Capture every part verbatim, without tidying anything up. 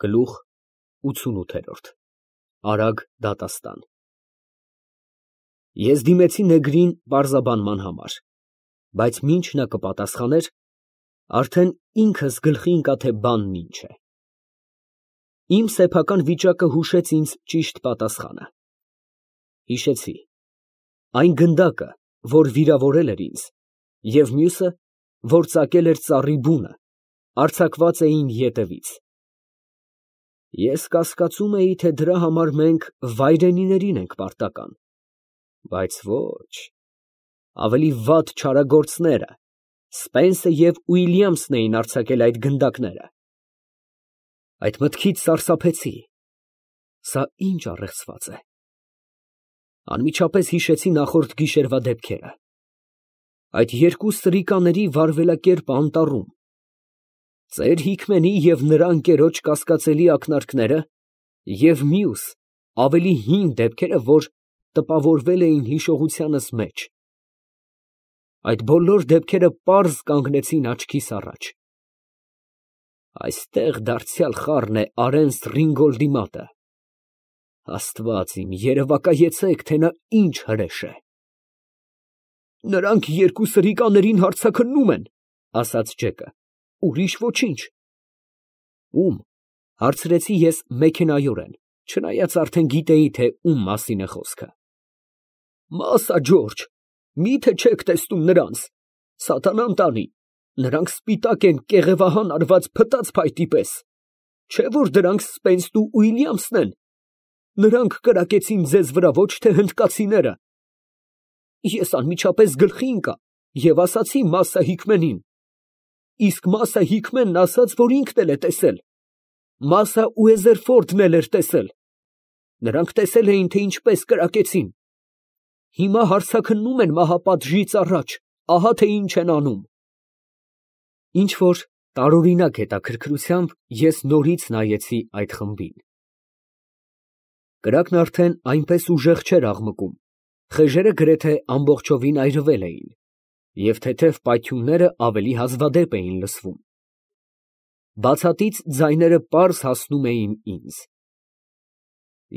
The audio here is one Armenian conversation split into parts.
Գլուխ ութսունութ Արագ դատաստան Ես դիմեցի նեգրին պարզաբանման համար, բայց մինչ նա կպատասխաներ, արդեն ինքս գլխի ընկա, թե բանն ինչ է։ Իմ սեփական վիճակը հուշեց ինձ ճիշտ պատասխանը։ Հիշեցի այն գնդակը, որ վիրավորել էր ինձ, և մյուսը, որ ծակել էր ծառի բունը, արձակված էին ետևից։ Ես կասկածում էի, թե դրա համար մենք վայրենիներին ենք պարտական, բայց ոչ, ավելի վատ չարագործները Սպենսը և Ուիլյամսն էին արձակել այդ գնդակները։ Այդ մտքից սարսափեցի, սա ինչ առեղծված է։ Անմիջապես հիշեցի նախորդ գիշերվա դեպքերը, այդ երկու սրիկաների վարվելակերպը անտառում, ծեր Հիքմենի և նրա ընկերոջ կասկածելի ակնարկները և մյուս, ավելի հին դեպքերը, որ տպավորվել էին հիշողությանս մեջ։ Այդ բոլոր դեպքերը պարզ կանգնեցին աչքիս առաջ։ Այստեղ դարձյալ խառն է Արենս Ռինգոլդի մատը։ Աստված իմ, երևակայեցեք, թե նա ինչ հրեշ է։ Նրանք երկու սրիկաներին հարձակռնում են, ասաց Ջեկը, ուրիշ ոչինչ։ Ում, հարցրեցի ես մեքենայորեն, չնայած արդեն գիտեի, թե ում մասին է խոսքը։ Մասա, Ջորջ, միթե չեք տեսնում նրանց, սատանան տանի, նրանք սպիտակ են կեղևահան արված փտած փայտի պես, չէ՞ որ դրանք Սպենսն ու Ուիլյամսն են, նրանք կրակեցին ձեզ վրա, ոչ թե հնդկացիները։ Ես անմիջապես գլխի ընկա և ասացի Մասա Հիքմենին, իսկ Մասա Հիքմենն ասաց, որ ինքն էլ է տեսել, Մասա Ուեզերֆորդն էլ էր տեսել, նրանք տեսել էին, թե ինչպես կրակեցին։ Հիմա հարձակռնում են մահապատժից առաջ, ահա թե ինչ են անում։ Ինչ-որ տարօրինակ հետաքրքրությամբ ես նորից նայեցի այդ խմբին։ Կրակն արդեն այնպես ուժեղ չէր աղմկում, խեժերը գրեթե ամբողջովին այրվել էին, և թեթև պայթյունները ավելի հազվադեպ էին լսվում։ Բացատից ձայները պարզ հասնում էին ինձ։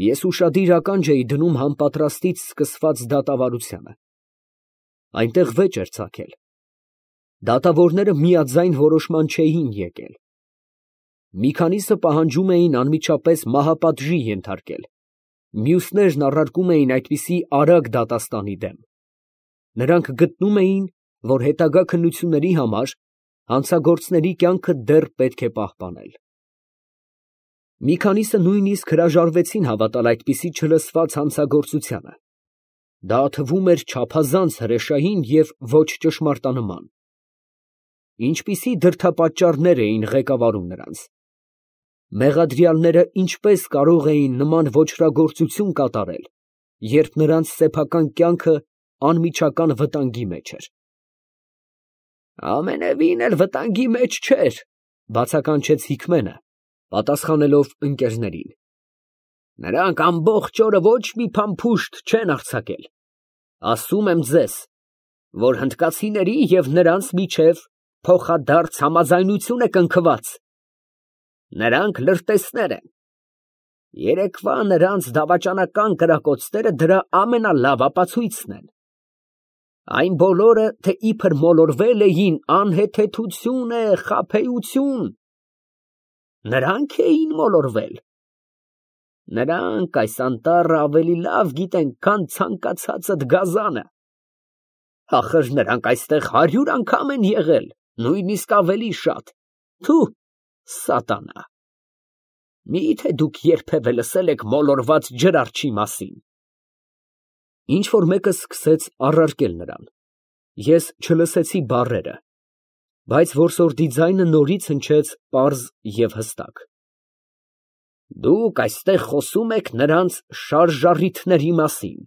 Ես ուշադիր ականջ էի դնում համապատրաստից սկսված դատավարությանը։ Այնտեղ վեճ էր ծագել։ Դատավորները միաձայն որոշման չէին եկել։ Մի քանիսը պահանջում էին անմիջապես մահապատժի ենթարկել, մյուսներն առարկում էին այդպիսի արագ դատաստանի դեմ։ Նրանք գտնում էին, որ հետագա քննությունների համար հանցագործների կյանքը դեռ պետք է պահպանել։ Մի քանիսը նույնիսկ հրաժարվեցին հավատալ այդպիսի չլսված հանցագործությանը։ Դա թվում էր չափազանց հրեշային և ոչ ճշմարտանման։ Ինչպիսի դրդապատճառներ էին ղեկավարում նրանց։ Մեղադրյալները ինչպես կարող էին նման ոճրագործություն կատարել, երբ նրանց սեփական կյանքը անմիջական վտանգի մեջ էր։ Ամենևին էլ վտանգի մեջ չէր, բացականչեց Հիքմենը, պատասխանելով ընկերներին։ Նրանք ամբողջ օրը ոչ մի փամփուշտ չեն արձակել։ Ասում եմ ձեզ, որ հնդկացիների և նրանց միջև փոխադարձ համաձայնություն է կնքված։ Նրանք լրտեսներ են։ Երեկվա նրանց դավաճանական կրակոցները դրա ամենալավ ապացույցն են։ Այն բոլորը, թե իբր մոլորվել էին, անհեթեթություն է, խաբեություն։ Նրանք էին մոլորվել։ Նրանք այս անտառը ավելի լավ գիտեն, քան ցանկացածդ գազանը։ Ախր նրանք այստեղ հարյուր անգամ են եղել, նույնիսկ ավելի շատ։ Թու, սատանա։ Մի՞թե դուք երբևէ լսել եք մոլորված ջրարչի մասին։ Ինչ֊որ մեկը սկսեց առարկել նրան։ Ես չլսեցի բառերը, բայց որսորդի ձայնը նորից հնչեց պարզ և հստակ։ Դուք այստեղ խոսում եք նրանց շարժառիթների մասին։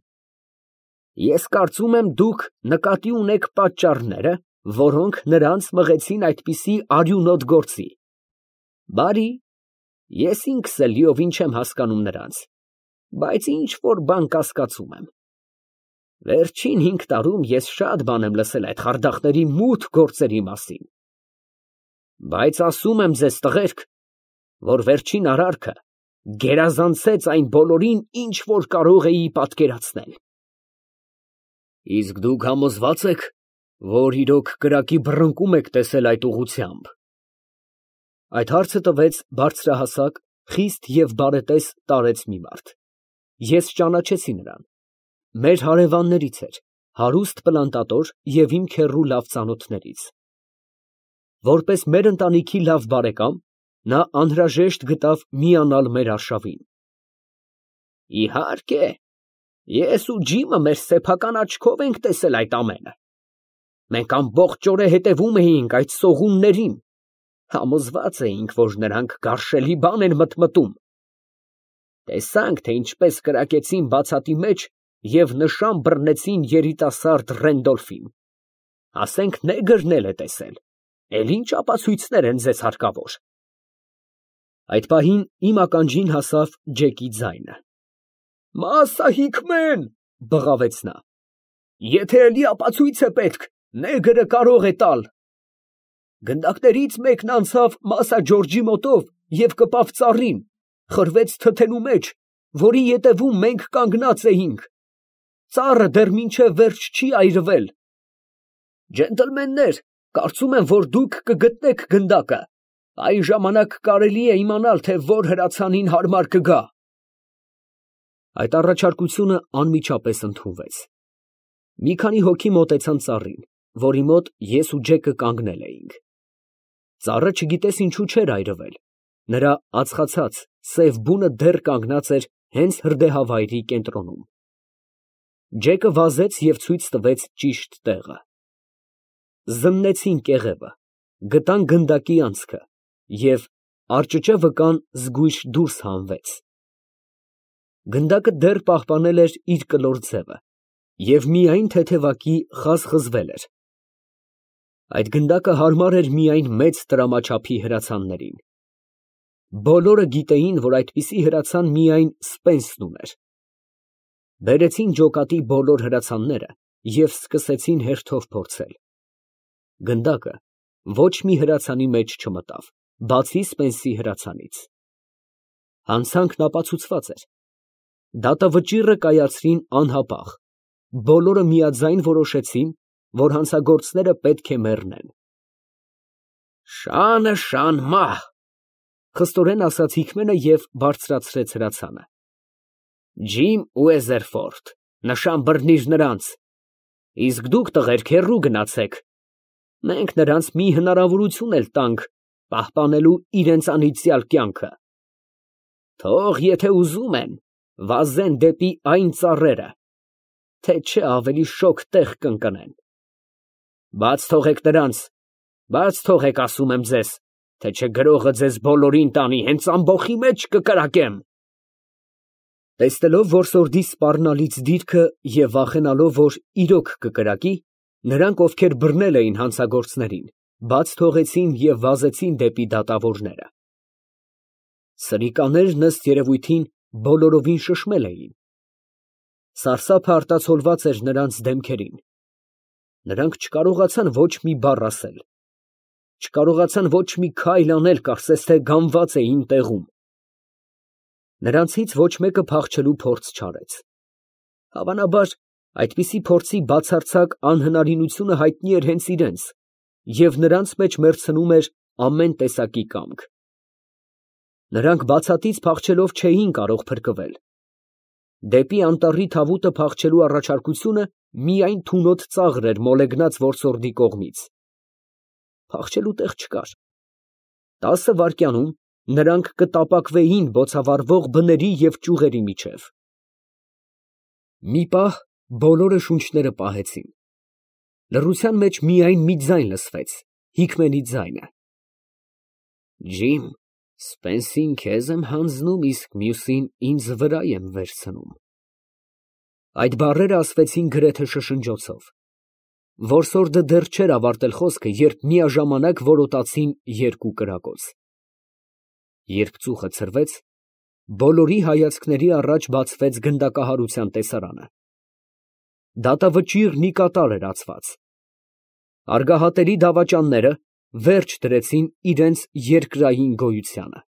Ես կարծում եմ, դուք նկատի ունեք պատճառները, որոնք նրանց մղեցին այդպիսի արյունոտ գործի։ Բարի, ես ինքս էլ լիովին չեմ հասկանում նրանց, բայց ինչ֊որ բան կասկածում եմ։ Վերջին հինգ տարում ես շատ բան եմ լսել այդ խարդախների մութ գործերի մասին։ Բայց ասում եմ ձեզ, տղերք, որ վերջին արարքը գերազանցեց այն բոլորին, ինչ որ կարող էի պատկերացնել։ Իսկ դուք համոզվա՞ծ եք, որ իրոք կրակի բռնկում եք տեսել այդ ուղղությամբ։ Այդ հարցը տվեց բարձրահասակ, խիստ և բարետես տարեց մի մարդ։ Ես ճանաչեցի նրան։ Մեր հարևաններից էր, հարուստ պլանտատոր և իմ քեռու լավ ծանոթներից։ Որպես մեր ընտանիքի լավ բարեկամ, նա անհրաժեշտ գտավ միանալ մեր արշավին։ Իհարկե, ես ու Ջիմը մեր սեփական աչքով ենք տեսել այդ ամենը։ Մենք ամբողջ օրը հետևում էինք այդ սողուններին, համոզված էինք, որ նրանք գարշելի բան են մտմտում։ Տեսանք, թե ինչպես կրակեցին բացատի մեջ և նշան բռնեցին երիտասարդ Ռենդոլֆին։ Ասենք նեգրն էլ է տեսել, էլ ինչ ապացույցներ են ձեզ հարկավոր։ Այդ պահին իմ ականջին հասավ Ջեկի ձայնը։ Մասա Հիքմեն, բղավեց նա, եթե էլի ապացույց է պետք, նեգրը կարող է տալ։ Գնդակներից մեկն անցավ Մասա Ջորջի մոտով և կպավ ծառին, խրվեց թթենու մեջ, որի ետևում մենք կանգնած էինք։ Ծառը դեռ մինչև վերջ չի այրվել։ Ջենտլմեններ, կարծում եմ, որ դուք կգտնեք գնդակը, այն ժամանակ կարելի է իմանալ, թե որ հրացանին հարմար կգա։ Այդ առաջարկությունը անմիջապես ընդունվեց։ Մի քանի հոգի մոտեցան ծառին, որի մոտ ես ու Ջեկը կանգնել էինք։ Ծառը չգիտես ինչու չէր այրվել, նրա ածխացած, սև բունը դեռ կանգնած էր հենց հրդեհավայրի կենտրոնում։ Ջեկը վազեց և ցույց տվեց ճիշտ տեղը։ Զննեցին կեղևը, գտան գնդակի անցքը և արճճե վկան զգույշ դուրս հանվեց։ Գնդակը դեռ պահպանել էր իր կլոր ձևը և միայն թեթևակի խազխզվել էր։ Այդ գնդակը հարմար էր միայն մեծ տրամաչափի հրացաններին։ Բոլորը գիտեին, որ այդպիսի հրացան միայն Սպենսն ուներ։ Բերեցին ջոկատի բոլոր հրացանները և սկսեցին հերթով փորձել։ Գնդակը ոչ մի հրացանի մեջ չմտավ, բացի Սպենսի հրացանից։ Հանցանքն ապացուցված էր։ Դատավճիռը կայացրին անհապաղ, բոլորը միաձայն որոշեցին, որ հանցագործները պետք է մեռնեն։ Շանը շան մահ, խստորեն ասաց Հիքմենը և բարձրացրեց հրացանը։ Ջիմ ու Էզերֆորդ, նշան բռնիր նրանց, իսկ դուք տղերք հեռու գնացեք, մենք նրանց մի հնարավորություն էլ տանք պահպանելու իրենց անիծյալ կյանքը։ Թող եթե ուզում են, վազեն դեպի այն ծառերը, թե չէ ավելի շոգ տեղ կընկնեն։ Բաց թողեք նրանց, բաց թողեք, ասում եմ ձեզ, թե չէ գրողը ձեզ բոլորին տանի, հենց ամբոխի մեջ կկրակեմ։ Տեսնելով, որ սորդի սպառնալից դիրքը և վախենալով, որ իրոք կկրակի, նրանք, ովքեր բռնել էին հանցագործներին, բաց թողեցին և վազեցին դեպի դատավորները։ Սրիկաներն ըստ երևույթին բոլորովին շշմել էին։ Սարսափը արտացոլված էր նրանց դեմքերին։ Նրանք չկարողացան ոչ մի բառ ասել, չկարողացան ոչ մի քայլ անել, կարծես թե գանված էին տեղում։ Նրանցից ոչ մեկը փախչելու փորձ չարեց։ Հավանաբար, այդպիսի փորձի բացարձակ անհնարինությունը հայտնի էր հենց իրենց, և նրանց մեջ մեռցնում էր ամեն տեսակի կամք։ Նրանք բացատից փախչելով չէին կարող փրկվել։ Դեպի անտառի թավուտը փախչելու առաջարկությունը միայն թունոտ ծաղր էր մոլեգնած որսորդի կողմից։ Փախչելու տեղ չկար։ Տասը վայրկյանում նրանք կտապակվեին բոցավառվող բների և ճյուղերի միջև։ Մի պահ բոլորը շունչները պահեցին։ Լռության մեջ միայն մի ձայն լսվեց, Հիքմենի ձայնը. Ջիմ, Սպենսին քեզ եմ հանձնում, իսկ մյուսին ինձ վրա եմ վերցնում։ Այդ բառերը ասվեցին գրեթե շշնջոցով։ Որսորդը դեռ չէր ավարտել խոսքը, երբ միաժամանակ որոտացին երկու կրակոց։ Երբ ծուխը ցրվեց, բոլորի հայացքների առաջ բացվեց գնդակահարության տեսարանը։ Դատավճիռ մի կատար էր ածված։ Արգահատերի դավաճանները վերջ դրեցին իրենց երկրային գոյությանը։